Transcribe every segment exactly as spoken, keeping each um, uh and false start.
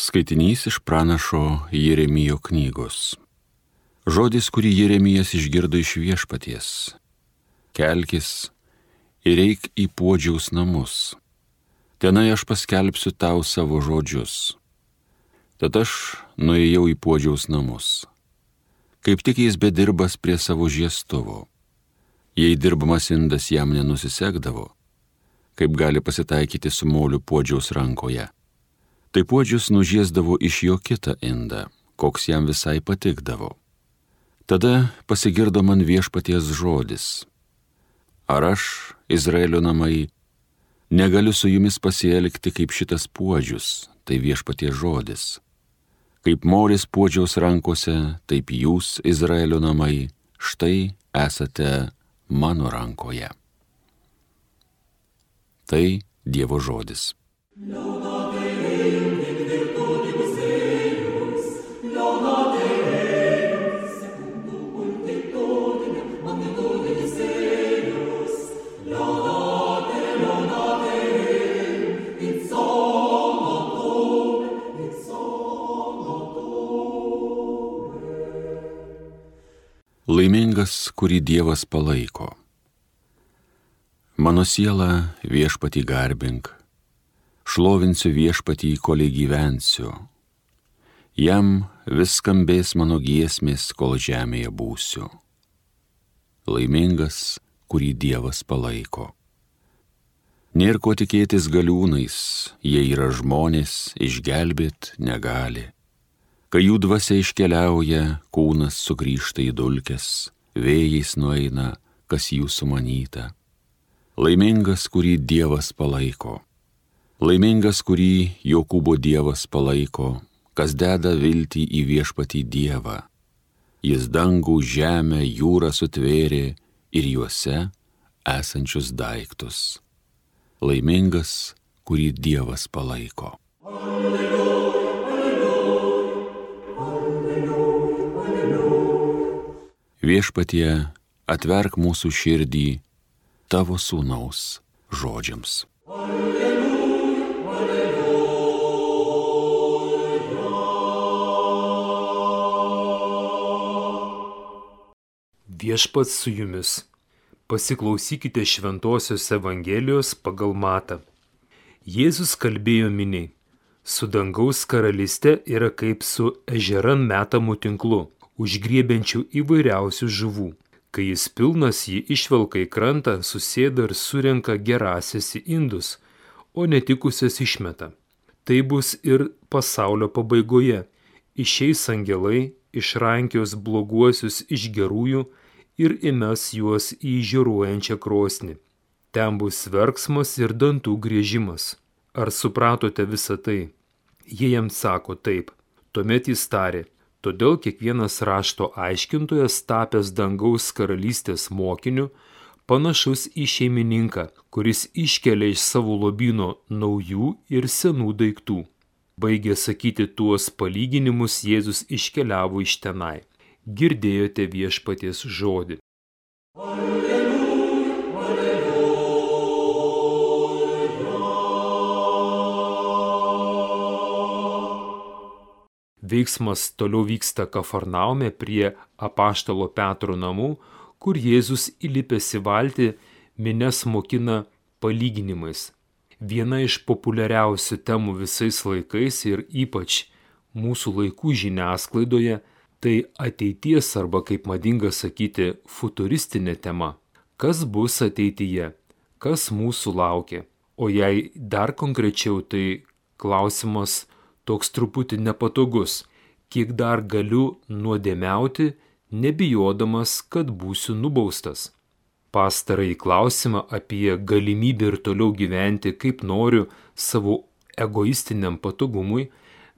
Skaitinys iš pranašo Jeremijo knygos. Žodis, kurį Jeremijas išgirdo iš viešpaties. Kelkis ir eik į puodžiaus namus. Tenai aš paskelbsiu tau savo žodžius. Tad aš nuėjau į puodžiaus namus. Kaip tik jis bedirbas prie savo žiestuvo. Jei dirbamas indas jam nenusisekdavo, kaip gali pasitaikyti su moliu puodžiaus rankoje, tai puodžius nužiesdavo iš jo kitą indą, koks jam visai patikdavo. Tada pasigirdo man viešpaties žodis. Ar aš, Izraelio namai, negaliu su jumis pasielgti kaip šitas puodžius, tai viešpaties žodis. Kaip molis puodžiaus rankose, taip jūs, Izraelio namai, štai esate mano rankoje. Tai Dievo žodis. Laimingas, kurį Dievas palaiko. Mano siela viešpatį garbink, šlovinsiu viešpatį, kolei gyvensiu. Jam vis skambės mano giesmės, kol žemėje būsiu. Laimingas, kurį Dievas palaiko. Nėr ko tikėtis galiūnais, jie yra žmonės, išgelbėt negali. Kai jų dvasia iškeliauja, kūnas sugrįžta į dulkes, vėjais nueina, kas jų sumanyta. Laimingas, kurį Dievas palaiko. Laimingas, kurį Jokūbo Dievas palaiko, kas deda viltį į viešpatį Dievą. Jis dangų, žemę, jūrą sutvėrė ir juose esančius daiktus. Laimingas, kurį Dievas palaiko. Alleluja. Viešpatie, atverk mūsų širdį tavo sūnaus žodžiams. Alleluja, alleluja. Viešpats su jumis. Pasiklausykite Šventosios Evangelijos pagal Matą. Jėzus kalbėjo miniai. Su dangaus karalyste yra kaip su ežeran metamu tinklu, užgriebiančių įvairiausių žuvų. Kai jis pilnas, jį išvelka į krantą, susėda ir surenka gerąsias į indus, o netikusias išmeta. Tai bus ir pasaulio pabaigoje. Išeis angelai, išrankios bloguosius iš gerųjų ir įmes juos į žiūruojančią krosnį. Ten bus verksmas ir dantų griežimas. Ar supratote visą tai? Jie jam sako taip. Tuomet jis tarė. Todėl kiekvienas rašto aiškintojas, tapęs dangaus karalystės mokiniu, panašus į šeimininką, kuris iškelia iš savo lobyno naujų ir senų daiktų. Baigė sakyti tuos palyginimus, Jėzus iškeliavo iš tenai. Girdėjote viešpaties žodį. Alleluja, alleluja. Veiksmas toliau vyksta Kafarnaume prie apaštalo Petro namų, kur Jėzus įlipęs į valtį minias mokina palyginimais. Viena iš populiariausių temų visais laikais ir ypač mūsų laikų žiniasklaidoje tai ateities arba, kaip madinga sakyti, futuristinė tema. Kas bus ateityje? Kas mūsų laukia? O jei dar konkrečiau, tai klausimas toks truputį nepatogus, kiek dar galiu nuodėmiauti, nebijodamas, kad būsiu nubaustas. Pastarąjį klausimą apie galimybę ir toliau gyventi, kaip noriu, savo egoistiniam patogumui,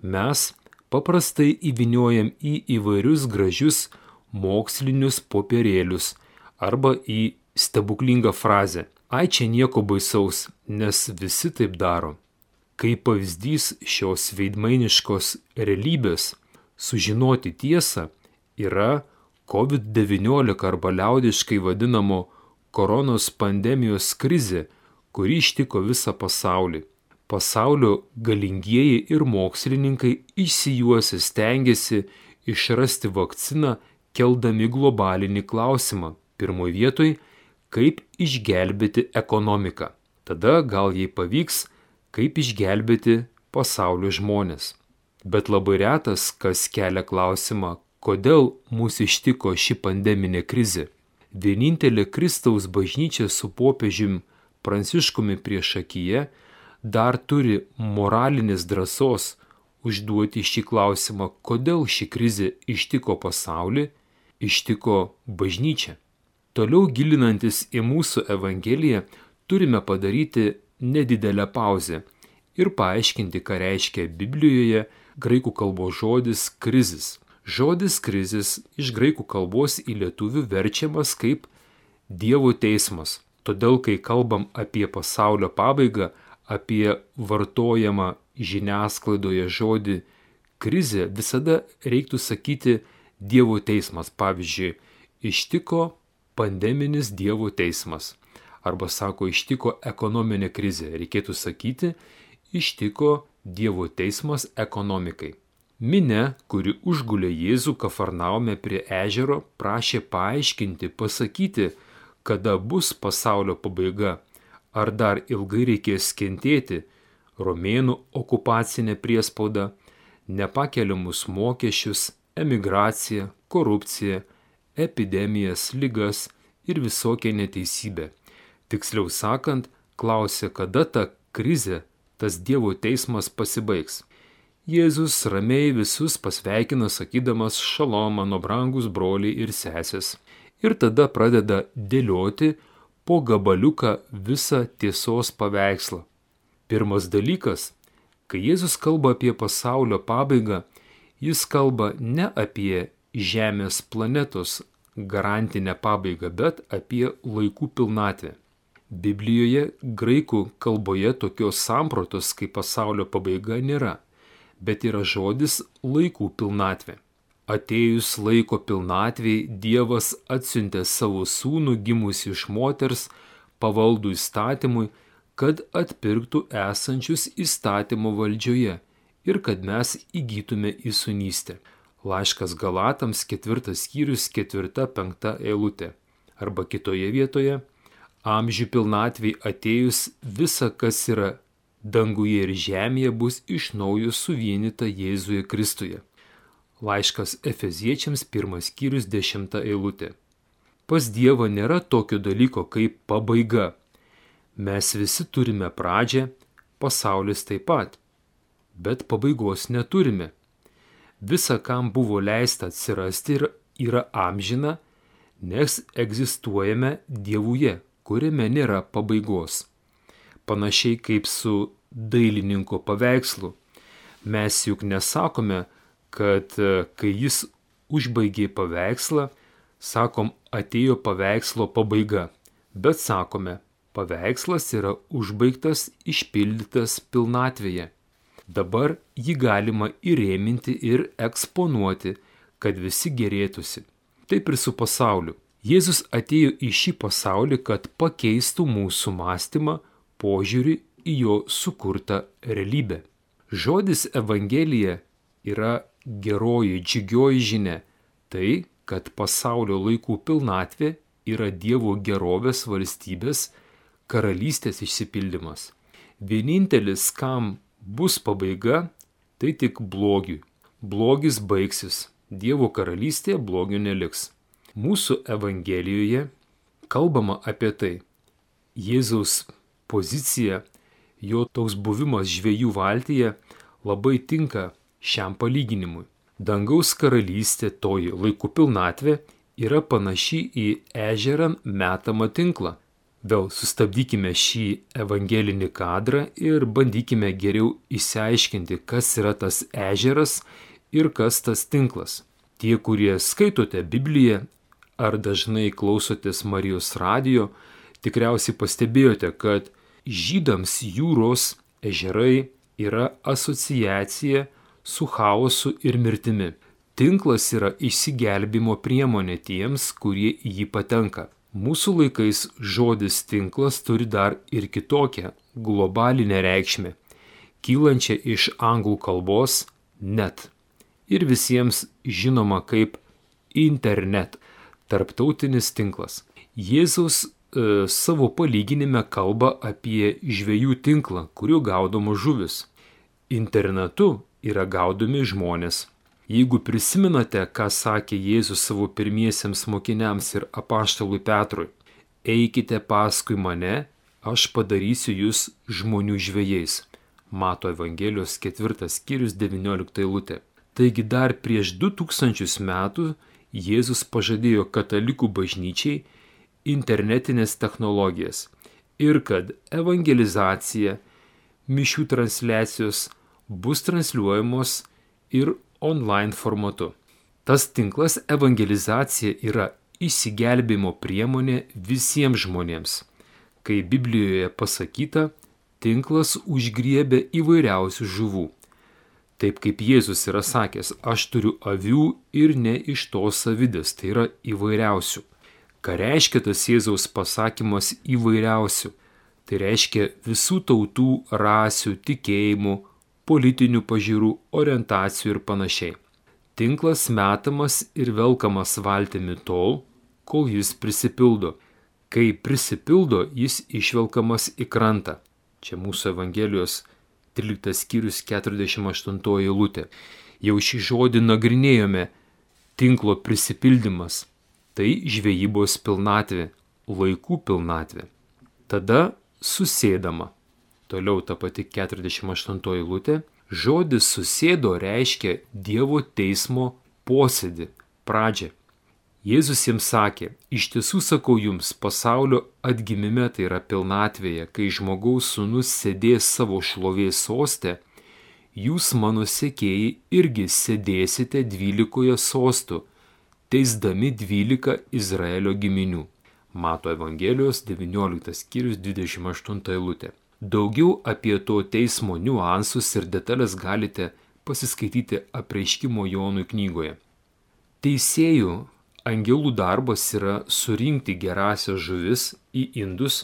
mes paprastai įvyniojam į įvairius gražius mokslinius popierėlius arba į stebuklingą frazę. Ai, čia nieko baisaus, nes visi taip daro. Kaip pavyzdys šios veidmainiškos realybės sužinoti tiesą yra kovid devyniolika arba liaudiškai vadinamo koronos pandemijos krizė, kuri ištiko visą pasaulį. Pasaulio galingieji ir mokslininkai išsijuosę stengiasi išrasti vakciną, keldami globalinį klausimą. Pirmoje vietoje, kaip išgelbėti ekonomiką. Tada gal jai pavyks, kaip išgelbėti pasaulio žmonės. Bet labai retas, kas kelia klausimą, kodėl mūsų ištiko ši pandeminė krizė. Vienintelė Kristaus bažnyčia su popiežiumi Pranciškumi priešakyje dar turi moralinės drąsos užduoti šį klausimą, kodėl ši krizė ištiko pasaulį, ištiko bažnyčią. Toliau gilinantis į mūsų Evangeliją, turime padaryti nedidelę pauzę ir paaiškinti, ką reiškia Biblijoje graikų kalbos žodis krizis. Žodis krizis iš graikų kalbos į lietuvių verčiamas kaip Dievo teismas. Todėl, kai kalbam apie pasaulio pabaigą, apie vartojamą žiniasklaidoje žodį krizė, visada reiktų sakyti Dievo teismas. Pavyzdžiui, ištiko pandeminis Dievo teismas. Arba sako, ištiko ekonominė krizė. Reikėtų sakyti, ištiko Dievo teismas ekonomikai. Minia, kuri užgulė Jėzų Kafarnaume prie ežero, prašė paaiškinti, pasakyti, kada bus pasaulio pabaiga, ar dar ilgai reikės kentėti romėnų okupacinę priespaudą, nepakeliamus mokesčius, emigraciją, korupciją, epidemijas, ligas ir visokią neteisybę. Tiksliau sakant, klausė, kada ta krizė, tas Dievo teismas pasibaigs. Jėzus ramiai visus pasveikina, sakydamas šalom, mano brangus broliai ir sesės. Ir tada pradeda dėlioti po gabaliuką visą tiesos paveikslą. Pirmas dalykas, kai Jėzus kalba apie pasaulio pabaigą, jis kalba ne apie Žemės planetos garantinę pabaigą, bet apie laikų pilnatvę. Biblijoje graikų kalboje tokios sampratos kaip pasaulio pabaiga nėra, bet yra žodis laikų pilnatvė. Atėjus laiko pilnatvei, Dievas atsiuntė savo sūnų gimusį iš moters, pavaldų įstatymui, kad atpirktų esančius įstatymo valdžioje ir kad mes įgytume įsūnystę. Laiškas Galatams ketvirtas skyrius ketvirta penkta eilutė. Arba kitoje vietoje, amžių pilnatvei atėjus visa, kas yra danguje ir žemėje, bus iš naujo suvienyta Jėzuje Kristuje. Laiškas Efeziečiams pirmas skyrius dešimta eilutė. Pas Dievą nėra tokio dalyko kaip pabaiga. Mes visi turime pradžią, pasaulis taip pat, bet pabaigos neturime. Visa, kam buvo leista atsirasti, yra amžina, nes egzistuojame Dievuje, kuriame nėra pabaigos. Panašiai kaip su dailininko paveikslu. Mes juk nesakome, kad kai jis užbaigė paveikslą, sakom, atėjo paveikslo pabaiga, bet sakome, paveikslas yra užbaigtas, išpildytas pilnatvėje. Dabar jį galima įrėminti ir eksponuoti, kad visi gerėtųsi. Taip ir su pasauliu. Jėzus atėjo į šį pasaulį, kad pakeistų mūsų mąstymą, požiūrį į jo sukurtą realybę. Žodis Evangelija yra geroji, džiugioji žinia. Tai, kad pasaulio laikų pilnatvė yra Dievo gerovės valstybės, karalystės išsipildymas. Vienintelis, kam bus pabaiga, tai tik blogiui. Blogis baigsis. Dievo karalystėje blogio neliks. Mūsų Evangelijoje kalbama apie tai. Jėzaus pozicija, jo toks buvimas žvejų valtyje labai tinka šiam palyginimui. Dangaus karalystė, toji laikų pilnatvė, yra panaši į ežerą metamą tinklą. Vėl sustabdykime šį evangelinį kadrą ir bandykime geriau išsiaiškinti, kas yra tas ežeras ir kas tas tinklas. Tie, kurie skaitote Bibliją ar dažnai klausotės Marijos radijo, tikriausiai pastebėjote, kad žydams jūros ežerai yra asociacija su chaosu ir mirtimi. Tinklas yra išsigelbimo priemonė tiems, kurie į jį patenka. Mūsų laikais žodis tinklas turi dar ir kitokią globalinę reikšmę. kylančią iš anglų kalbos net ir visiems žinoma kaip internet, tarptautinis tinklas. Jėzus e, savo palyginime kalba apie žvejų tinklą, kuriuo gaudoma žuvis. Internetu yra gaudomi žmonės. Jeigu prisimenate, ką sakė Jėzus savo pirmiesiems mokiniams ir apaštalui Petrui, eikite paskui mane, aš padarysiu jūs žmonių žvejais. Mato Evangelijos ketvirtas skyrius devyniolikta eilutė. Taigi dar prieš du tūkstančius metų Jėzus pažadėjo katalikų bažnyčiai internetinės technologijas ir kad evangelizacija, mišių transliacijos bus transliuojamos ir online formatu. Tas tinklas evangelizacija yra išsigelbėjimo priemonė visiems žmonėms. Kai Biblijoje pasakyta, tinklas užgriebė įvairiausių žuvų. Taip kaip Jėzus yra sakęs, aš turiu avių ir ne iš tos avidės, tai yra įvairiausių. Ką reiškia tas Jėzaus pasakymas įvairiausių? Tai reiškia visų tautų, rasių, tikėjimų, politinių pažiūrų, orientacijų ir panašiai. Tinklas metamas ir velkamas valtimi tol, kol jis prisipildo. Kai prisipildo, jis išvelkamas į krantą. Čia mūsų Evangelijos tryliktas skyrius keturiasdešimt aštuntoji eilutė. Jau šį žodį nagrinėjome. Tinklo prisipildymas – tai žvejybos pilnatvė, laikų pilnatvė. Tada susėdama. Toliau ta pati keturiasdešimt aštuntoji eilutė. Žodis susėdo reiškia Dievo teismo posėdį, pradžią. Jėzus jiems sakė, iš tiesų sakau jums, pasaulio atgimime, tai yra pilnatvėje, kai žmogaus sūnus sėdės savo šlovės soste, jūs mano sekėjai irgi sėdėsite dvylikoje sostų, teisdami dvylika Izraelio giminių. Mato Evangelijos devynioliktas skyrius dvidešimt aštunta eilutė. Daugiau apie to teismo niuansus ir detalės galite pasiskaityti Apreiškimo Jonui knygoje. Teisėjų angelų darbas yra surinkti gerąsias žuvis į indus,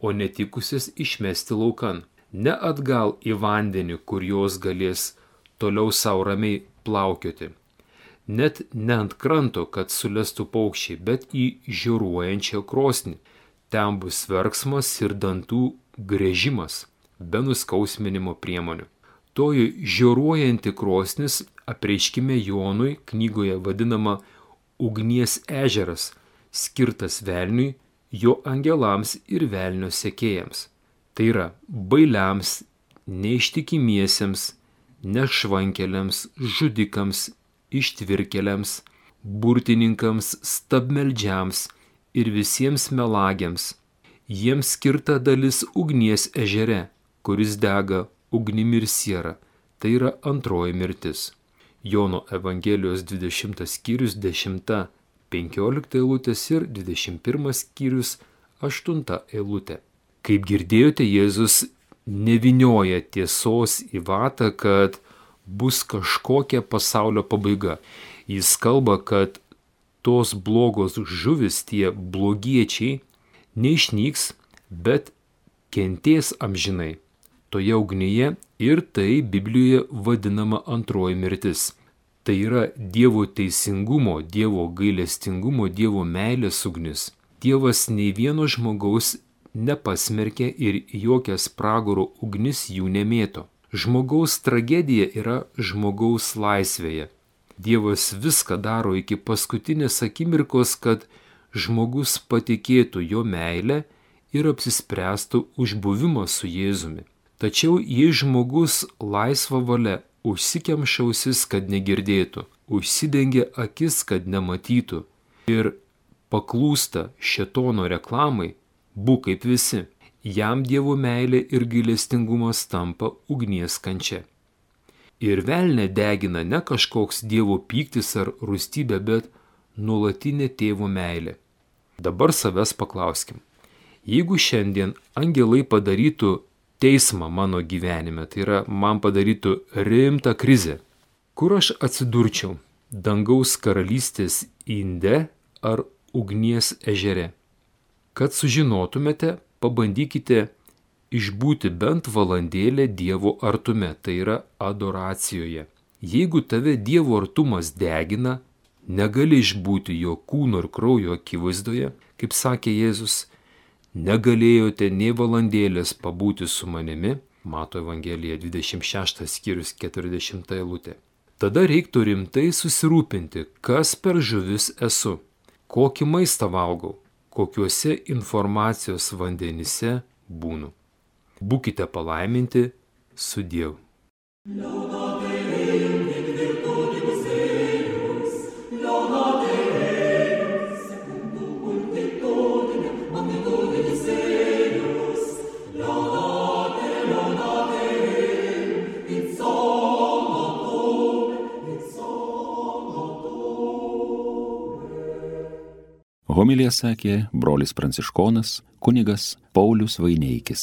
o netikusias išmesti laukan. Ne atgal į vandenį, kur jos galės toliau savo ramiai plaukioti. Net ne ant kranto, kad sulestų paukščiai, bet į žioruojančią krosnį. Ten bus verksmas ir dantų grėžimas, be nuskausminimo priemonių. Toji žioruojanti krosnis Apreiškime Jonui knygoje vadinama ugnies ežeras, skirtas velniui, jo angelams ir velnio sekėjams. Tai yra bailiams, neištikimiesiems, nešvankeliams, žudikams, ištvirkeliams, burtininkams, stabmeldžiams ir visiems melagiams. Jiems skirta dalis ugnies ežere, kuris dega ugnimi ir siera. Tai yra antroji mirtis. Jono Evangelijos dvidešimtas skyrius dešimta penkiolikta eilutės ir dvidešimt pirmas skyrius aštunta eilutė. Kaip girdėjote, Jėzus nevinioja tiesos į vatą, kad bus kažkokia pasaulio pabaiga. Jis kalba, kad tos blogos žuvis, tie blogiečiai, neišnyks, bet kentės amžinai toje ugnyje ir tai Biblijoje vadinama antroji mirtis. Tai yra Dievo teisingumo, Dievo gailestingumo, Dievo meilės ugnis. Dievas nei vieno žmogaus nepasmerkė ir jokias pragaro ugnis jų nemėto. Žmogaus tragedija yra žmogaus laisvėje. Dievas viską daro iki paskutinės akimirkos, kad žmogus patikėtų jo meilę ir apsispręstų už buvimą su Jėzumi. Tačiau jei žmogus laisva valia užsikemša ausis, kad negirdėtų, užsidengia akis, kad nematytų ir paklūsta šėtono reklamai, būk kaip visi, jam Dievo meilė ir gailestingumas tampa ugnies kančia. Ir velnę degina ne kažkoks Dievo pyktis ar rūstybė, bet nuolatinė tėvo meilė. Dabar savęs paklauskim. Jeigu šiandien angelai padarytų teismą mano gyvenime, tai yra man padarytų rimtą krizę, kur aš atsidurčiau, dangaus karalystės inde ar ugnies ežere? Kad sužinotumėte, pabandykite išbūti bent valandėlę Dievo artume, tai yra adoracijoje. Jeigu tave Dievo artumas degina, negali išbūti jo kūno ir kraujo akivaizdoje, kaip sakė Jėzus, negalėjote nei valandėlės pabūti su manimi, Mato Evangelija dvidešimt šeštas skyrius keturiasdešimta eilutė. Tada reiktų rimtai susirūpinti, kas per žuvis esu, kokį maistą valgau, kokiuose informacijos vandenyse būnu. Būkite palaiminti su Dievu. Homiliją sakė brolis pranciškonas kunigas Paulius Vaineikis.